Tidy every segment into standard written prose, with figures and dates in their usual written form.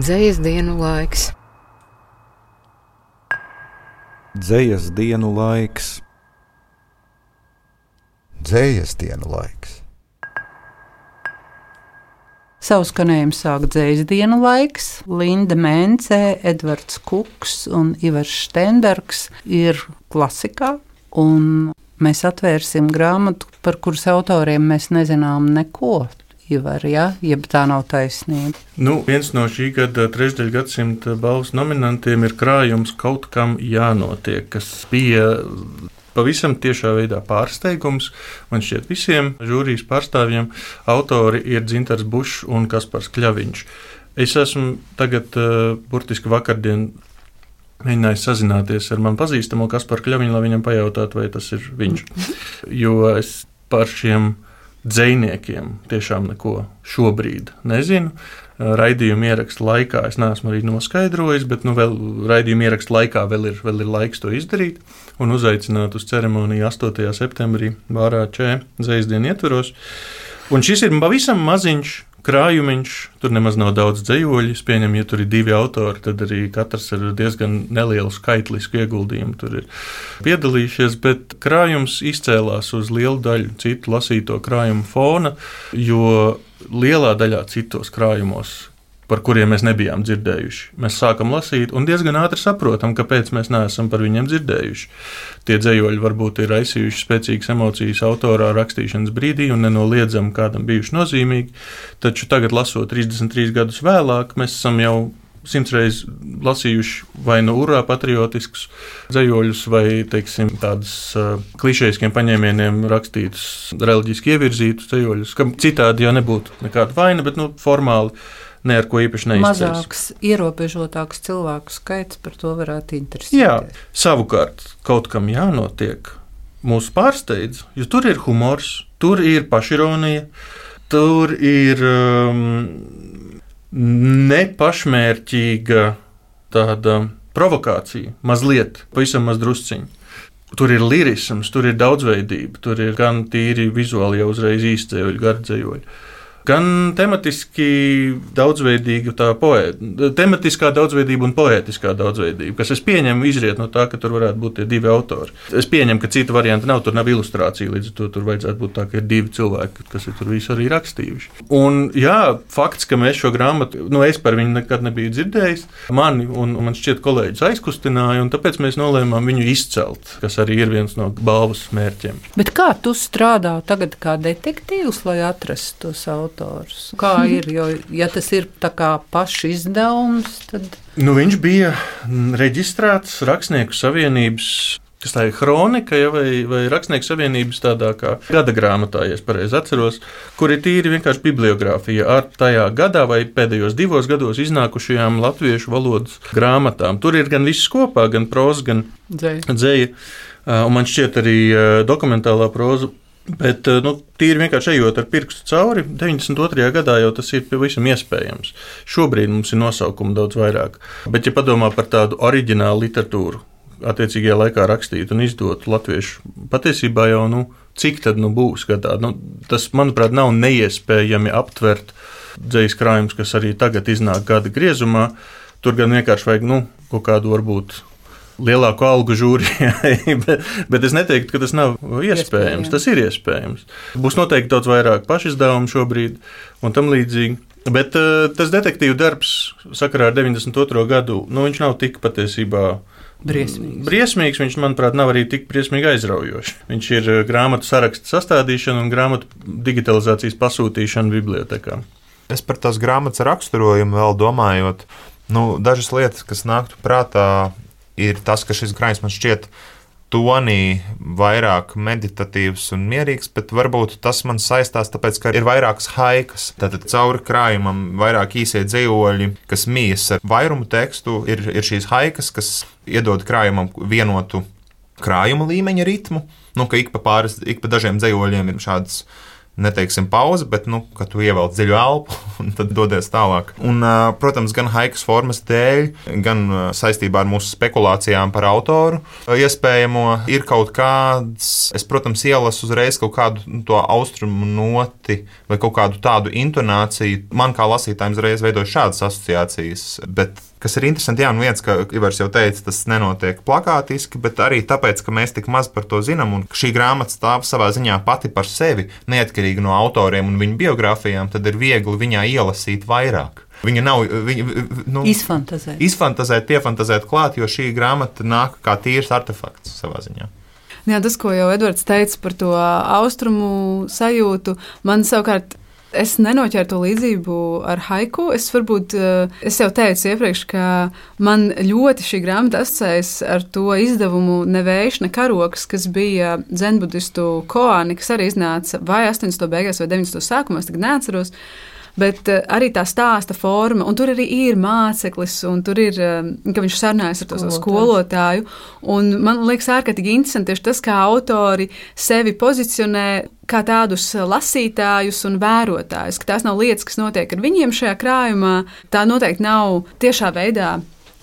Dzejas dienu laiks. Dzejas dienu laiks. Dzejas dienu laiks. Savu skanējumu sāk dzejas dienu laiks. Linda Mēncē, Edvards Kuks un Ivars Štenbergs ir klasikā. Un mēs atvērsim grāmatu, par kuras autoriem mēs nezinām neko. Ivar, ja? Jeb tā nav taisnība. Viens no šī gada trešdaļgadsimta balvas nominantiem ir krājums Kaut kam jānotiek, kas bija pavisam tiešā veidā pārsteigums. Man šķiet visiem žūrijas pārstāvjiem autori ir Dzintars Bušs un Kaspars Kļaviņš. Es esmu tagad burtiski vakardien mēģinājis sazināties ar man pazīstamo Kasparu Kļaviņu, lai viņam pajautātu, vai tas ir viņš. Jo es par šiem dzejniekiem tiešām neko šobrīd nezinu. Raidījuma ieraksta laikā es neesmu arī noskaidrojis, bet vēl raidījuma ieraksta laikā vēl ir laiks to izdarīt un uzaicināt uz ceremoniju 8. septembrī Vārā Čē dzejas dienu ietvaros. Un šis ir pavisam maziņš krājumiņš, tur nemaz nav daudz dzejoļu. Es pieņemu, ja tur ir 2 autori, tad arī katrs ar diezgan nelielu skaitlisku ieguldījumu tur ir piedalījušies, bet krājums izcēlās uz lielu daļu citu lasīto krājumu fona, jo lielā daļā citos krājumos, par kuriem mēs nebijām dzirdējuši, mēs sākam lasīt un diezgan ātri saprotam, kāpēc mēs neesam par viņiem dzirdējuši. Tie dzejoļi varbūt ir raisījuši spēcīgas emocijas autorā rakstīšanas brīdī un nenoliedzami kādam bijuši nozīmīgi, taču tagad, lasot 33 gadus vēlāk, mēs esam jau 100 reizes lasījuši vai no urā patriotiskus dzejoļus, vai, teiksim, tādus klišejiskiem paņēmieniem rakstītus, reliģiski ievirzītus dzejoļus, kam citādi jau nebūtu nekāda vaina, bet formāli ne ar ko īpaši neizceļas. Mazāks, ierobežotāks cilvēku skaits par to varētu interesēt. Jā, savukārt kaut kam jānotiek. Mūs pārsteidz, jo tur ir humors, tur ir pašironija, tur ir nepašmērķīga tāda provokācija, mazliet, pavisam maz drusciņi. Tur ir lirisms, tur ir daudzveidība, tur ir gan tīri vizuāli jau uzreiz īsdzējoļi, gardzējoļi. Gan tematiski daudzveidīga tematiskā daudzveidība un poētiskā daudzveidība, kas es pieņemu izriet no tā, ka tur varētu būt tie 2 autori. Es pieņemu, ka cita varianta nav, tur nav ilustrācija, līdz ar to tur vajadzētu būt tā, ka ir 2 cilvēki, kas ir tur visu arī rakstījuši. Un jā, fakts, ka mēs šo grāmatu, es par viņu nekad nebiju dzirdējis, mani un man šķiet kolēģis aizkustināja, un tāpēc mēs nolēmām viņu izcelt, kas arī ir viens no balvas mērķiem. Bet kā tu strādā tagad kā detektīvs, lai atrastu tos autorus? Kā ir, jo ja tas ir tā kā paša izdevums, tad... Viņš bija reģistrēts Rakstnieku savienības, kas tā ir hronika, vai Rakstnieku savienības tādā kā gada grāmatā, ja es pareizi atceros, kur ir tīri vienkārši bibliogrāfija ar tajā gadā vai pēdējos 2 gados iznākušajām latviešu valodas grāmatām. Tur ir gan viss kopā, gan proza, gan dzeja, un man šķiet arī dokumentālā proza. Bet tīri vienkārši ejot ar pirkstu cauri, 92. gadā jau tas ir pavisam iespējams. Šobrīd mums ir nosaukumi daudz vairāk. Bet, ja padomā par tādu oriģinālu literatūru, attiecīgajā laikā rakstītu un izdotu latviešu, patiesībā jau, cik tad būs gadā? Tas, manuprāt, nav neiespējami aptvert dzejas krājumus, kas arī tagad iznāk gada griezumā. Tur gan vienkārši vajag, kaut kādu varbūt lielāku algu žūrijai, bet es neteiktu, ka tas nav iespējams. Tas ir iespējams. Būs noteikti daudz vairāk pašizdevumu šobrīd un tam līdzīgi. Bet tas detektīvu darbs sakarā ar 92. gadu, viņš nav tik patiesībā briesmīgs. Viņš, manuprāt, nav arī tik briesmīgi aizraujošs. Viņš ir grāmatu sarakstu sastādīšana un grāmatu digitalizācijas pasūtīšana bibliotekām. Es par tās grāmatas raksturojumu vēl domājot, dažas lietas, kas nāktu prātā, ir tas, ka šis krājums man šķiet tonī vairāk meditatīvs un mierīgs, bet varbūt tas man saistās tāpēc, ka ir vairākas haikas. Tātad cauri krājumam vairāk īsie dzejoļi, kas mijas ar vairumu tekstu, ir šīs haikas, kas iedod krājumam vienotu krājuma līmeņa ritmu, ka ik pa dažiem dzejoļiem ir šādas neteiksim pauze, bet, ka tu ievelc dziļu elpu un tad dodies tālāk. Un, protams, gan haikas formas dēļ, gan saistībā ar mūsu spekulācijām par autoru iespējamo ir kaut kāds, es, protams, ielasu uzreiz kaut kādu to austrumu noti vai kaut kādu tādu intonāciju. Man kā lasītājiem uzreiz veidoja šādas asociācijas, bet kas ir interesanti, viens, ka Ivars jau teica, tas nenotiek plakātiski, bet arī tāpēc, ka mēs tik maz par to zinām, un šī grāmata stāv savā ziņā pati par sevi, neatkarīgi no autoriem un viņu biogrāfijām, tad ir viegli viņā ielasīt vairāk. Viņa nav izfantazēt, piefantazēt klāt, jo šī grāmata nāk kā tīrs artefakts savā ziņā. Jā, tas, ko jau Edvards teica par to austrumu sajūtu, man savukārt es nenoķēru to līdzību ar haiku. Es jau teicu iepriekš, ka man ļoti šī grāmata asociējas ar to izdevumu Ne vējš, ne karoks, kas bija dzenbudistu koāni, kas arī iznāca vai 80. beigās vai 90. sākumā, es tagad neatceros. Bet arī tā stāsta forma, un tur arī ir māceklis, un tur ir, ka viņš sarunājas ar to skolotāju. Un man liekas ārkārtīgi interesanti tieši tas, kā autori sevi pozicionē kā tādus lasītājus un vērotājus, ka tās nav lietas, kas notiek ar viņiem šajā krājumā. Tā noteikti nav tiešā veidā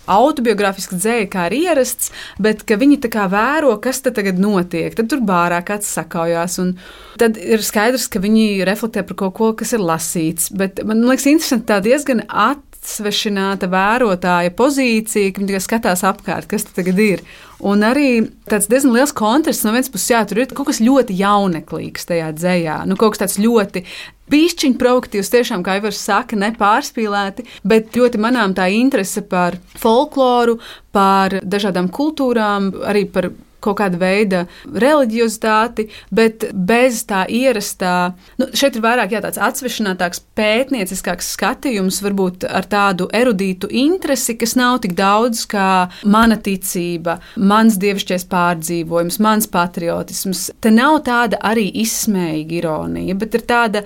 autobiogrāfiski dzēja, kā ir ierasts, bet ka viņi tā kā vēro, kas tad tagad notiek. Tad tur bārā kāds sakaujās, un tad ir skaidrs, ka viņi reflektē par kaut ko, kas ir lasīts. Bet man liekas interesanti tā diezgan atsvešināta vērotāja pozīcija, ka viņi tikai skatās apkārt, kas tad tagad ir. Un arī tāds diezgan liels kontrasts no vienas puses, tur ir kaut kas ļoti jauneklīgs tajā dzējā. Kaut kas tāds ļoti bišķiņ provokatīvs, tiešām, kā Ivars saka, nepārspīlēti, bet ļoti manām tā interese par folkloru, par dažādām kultūrām, arī par kaut kāda veida reliģiozitāti, bet bez tā ierastā. Šeit ir vairāk tāds atsvešinātāks, pētnieciskāks skatījums, varbūt ar tādu erudītu interesi, kas nav tik daudz kā mana ticība, mans dievišķais pārdzīvojums, mans patriotisms. Te nav tāda arī izsmējīga ironija, bet ir tāda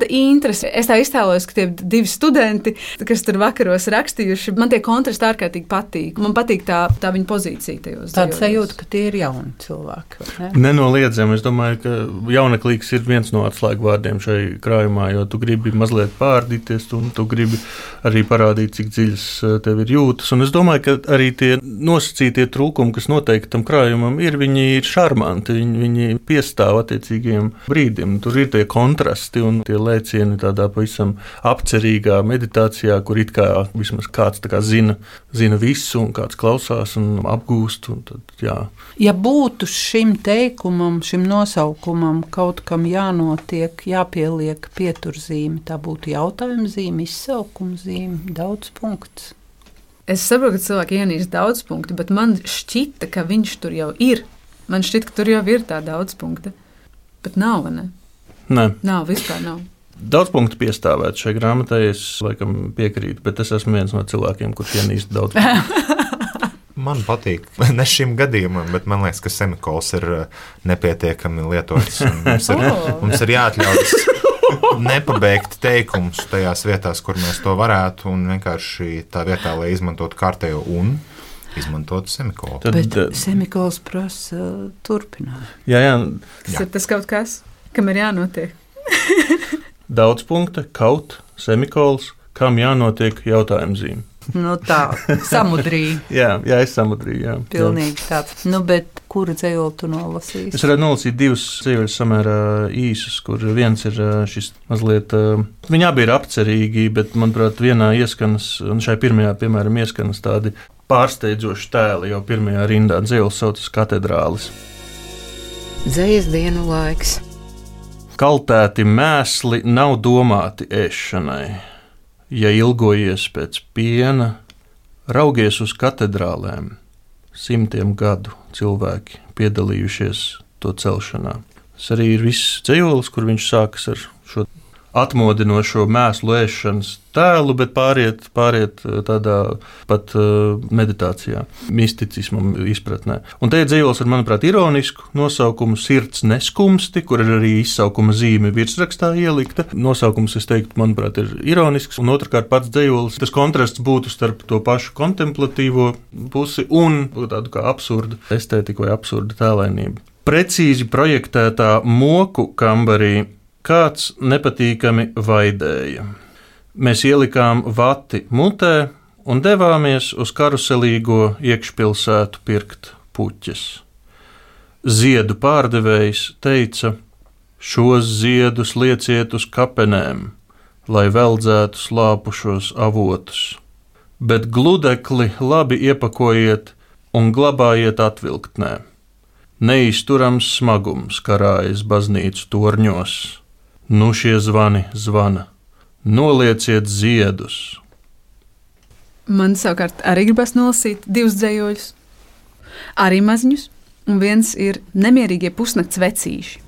interese. Es tā iztēlojos, ka tie divi studenti, kas tur vakaros rakstījuši, man tie kontrasti ārkārtīgi patīk. Man patīk tā viņa pozīcija tajos. Tāda sajūta, ka tie ir jauni cilvēki. Ne? Nenoliedzami. Es domāju, ka jauneklīgs ir viens no atslēgvārdiem šai krājumā, jo tu gribi mazliet pārdīties, un tu gribi arī parādīt, cik dziļas tev ir jūtas. Un es domāju, ka arī tie nosacītie trūkumi, kas noteikti tam krājumam ir, viņi ir šarmanti, viņi piestāv attiecīgiem brīdim. Tur ir tie kontrasti un tie lēcieni tādā pavisam apcerīgā meditācijā, kur it kā vismaz kāds tā kā zina visu un kāds klausās un apgūst. Un tad, jā. Ja būtu šim teikumam, šim nosaukumam kaut kam jānotiek, jāpieliek pieturzīme, tā būtu jautājuma zīme, izsaukuma zīme, daudz punkts. Es saprotu, ka cilvēki ienīst daudz punktu, bet man šķita, ka viņš tur jau ir. Man šķita, ka tur jau ir tā daudz punkta. Bet nav, vai ne? Nē. Nav, vispār nav. Daudz punktu piestāvēt šai grāmatai, es laikam piekrītu, bet es esmu viens no cilvēkiem, kurš ienīst daudz punktu. Man patīk, ne šim gadījumam, bet man liekas, ka semikols ir nepietiekami lietots. Mums ir jāatļaujas nepabeigt teikumus tajās vietās, kur mēs to varētu, un vienkārši tā vietā, lai izmantotu kārtējo un izmantotu semikolu. Bet semikols prasa turpināt. Jā. Tas ir tas kaut kas, kam ir jānotiek. Daudz punkta, kaut, semikols, kam jānotiek jautājumzīme. Tā, samudrī. jā, es samudrīju, jā. Pilnīgi tāds. Bet kuru dzejoli tu nolasīsi? Es varētu nolasīt divus dzejoļus samērā īsus, kur viens ir šis mazliet, viņi abi ir apcerīgi, bet, manuprāt, vienā ieskanas, un šai pirmajā, piemēram, ieskanas tādi pārsteidzoši tēli, jau pirmajā rindā dzejolis saucas Katedrālis. Dzejas dienu laiks. Kaltēti mēsli nav domāti ēšanai. Ja ilgojies pēc piena, raugies uz katedrālēm, 100 gadu cilvēki piedalījušies to celšanā. Tas arī ir viss dzejolis, kur viņš sākas ar šo atmodinošo mēslu ēšanas tēlu, bet pāriet tādā pat meditācijā, misticismam izpratnē. Un te ir dzejolis ar, manuprāt, ironisku nosaukumu Sirds neskumsti, kur ir arī izsaukuma zīme virsrakstā ielikta. Nosaukums, es teiktu, manuprāt, ir ironisks, un otrkārt pats dzejolis, tas kontrasts būtu starp to pašu kontemplatīvo pusi un tādu kā absurdu estētiku vai absurdu tēlainību. Precīzi projektētā moku kambarī Kāds nepatīkami vaidēja. Mēs ielikām vati mutē un devāmies uz karuselīgo iekšpilsētu pirkt puķes. Ziedu pārdevējs teica: šos ziedus lieciet uz kapenēm, lai veldzētu slāpušos avotus, bet gludekli labi iepakojiet un glabājiet atvilktnē. Neizturams smagums karājas baznīcu torņos. Nu šie zvani zvana. Nolieciet ziedus. Man savukārt arī gribas nolasīt 2 dzējoļus, arī maziņus, un viens ir nemierīgie pusnakts vecīši.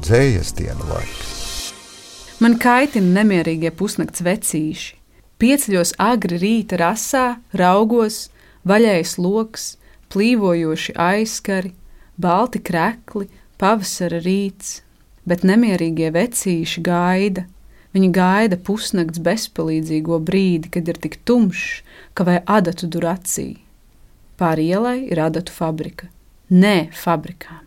Dzējas dienu laiks. Man kaitina nemierīgie pusnakts vecīši. Pieceļos agri rīta rasā, raugos, vaļējs loks, plīvojoši aizskari, balti krekli, pavasara rīts, bet nemierīgie vecīši gaida. Viņi gaida pusnakts bezpalīdzīgo brīdi, kad ir tik tumšs, ka vai adatu dur acī. Pāri ielai ir adatu fabrika. Nē, fabrikām.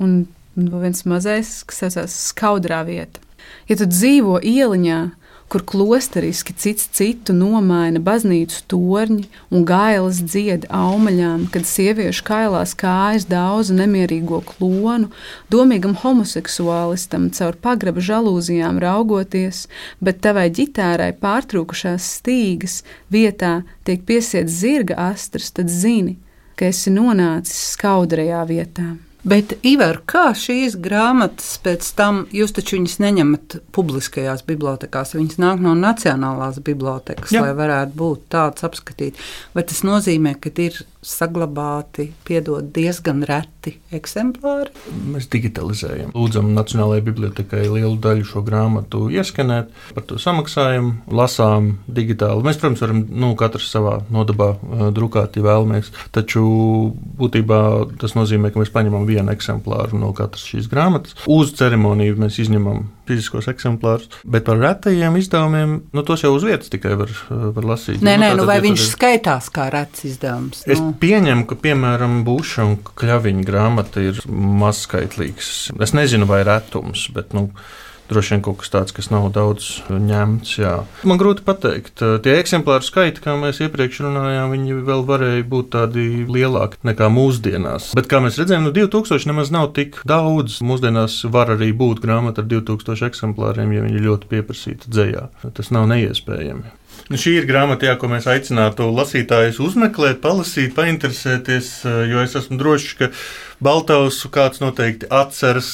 Un viens mazais, kas saucās Skaudrā vieta. Ja tu dzīvo ieliņā, kur klosteriski cits citu nomaina baznīcu torņi un gailas dzied aumaļām, kad sieviešu kailās kājas daudz nemierīgo klonu, domīgam homoseksuālistam caur pagraba žalūzijām raugoties, bet tavai ģitārai pārtrūkušās stīgas vietā tiek piesiets zirga astras, tad zini, ka esi nonācis skaudrajā vietā. Bet, Ivar, kā šīs grāmatas pēc tam, jūs taču viņas neņemat publiskajās bibliotekās, viņas nāk no Nacionālās bibliotekas, lai varētu būt tāds apskatīt. Vai tas nozīmē, ka ir saglabāti, diezgan reti eksemplāri? Mēs digitalizējam. Lūdzam Nacionālajai bibliotekai lielu daļu šo grāmatu ieskanēt, par to samaksājam, lasām digitāli. Mēs, protams, varam katrs savā nodabā drukāt, ja vēlamies, taču būtībā tas nozīmē, ka mēs paņemam vienu eksemplāru no katras šīs grāmatas. Uz ceremoniju mēs izņemam fiziskos eksemplārus, bet par retajiem izdevumiem, tos jau uz vietas tikai var lasīt. Nē, vai viņš skaitās kā rets izdevums? Es pieņemu, ka, piemēram, Buša un Kļaviņa grāmata ir mazskaitlīgs. Es nezinu, vai retums, bet, droši vien kaut kas tāds, kas nav daudz ņemts, jā. Man grūti pateikt. Tie eksemplāru skaiti, kā mēs iepriekš runājām, viņi vēl varēja būt tādi lielāki nekā mūsdienās. Bet, kā mēs redzējām, 2000 nemaz nav tik daudz. Mūsdienās var arī būt grāmata ar 2000 eksemplāriem, ja viņi ļoti pieprasīta dzejā. Tas nav neiespējami. Šī ir grāmata, ko mēs aicinātu lasītājus uzmeklēt, palasīt, painteresēties, jo es esmu drošs, ka Baltausu kāds noteikti atceras,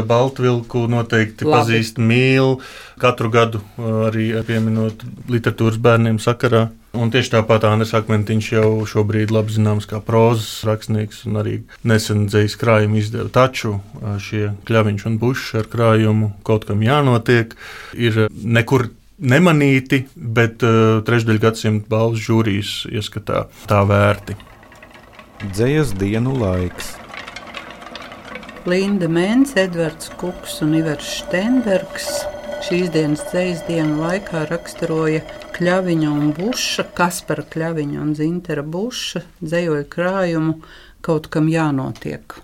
Baltvilku noteikti pazīst, mīl, katru gadu arī pieminot literatūras bērniem sakarā. Un tieši tāpat Andris Akmentiņš jau šobrīd labi zināms kā prozas rakstnieks un arī nesen dzejas krājumu izdeva. Taču šie Kļaviņš un Bušs ar krājumu Kaut kam jānotiek ir nekur nemanīti, bet trešdaļgadsimta balvas žūrijas ieskatā tā vērti. Dzejas dienu laiks. Linda Mense, Edvards Kuks un Ivars Štenbergs šīs dienas dzejas dienu laikā raksturoja Kļaviņa un Buša, Kaspara Kļaviņa un Zintera Buša dzejoļu krājumu Kaut kam jānotiek.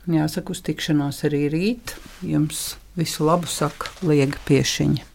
Jāsaka, uz tikšanos arī rīt. Jums visu labu saka Liega Piešiņa.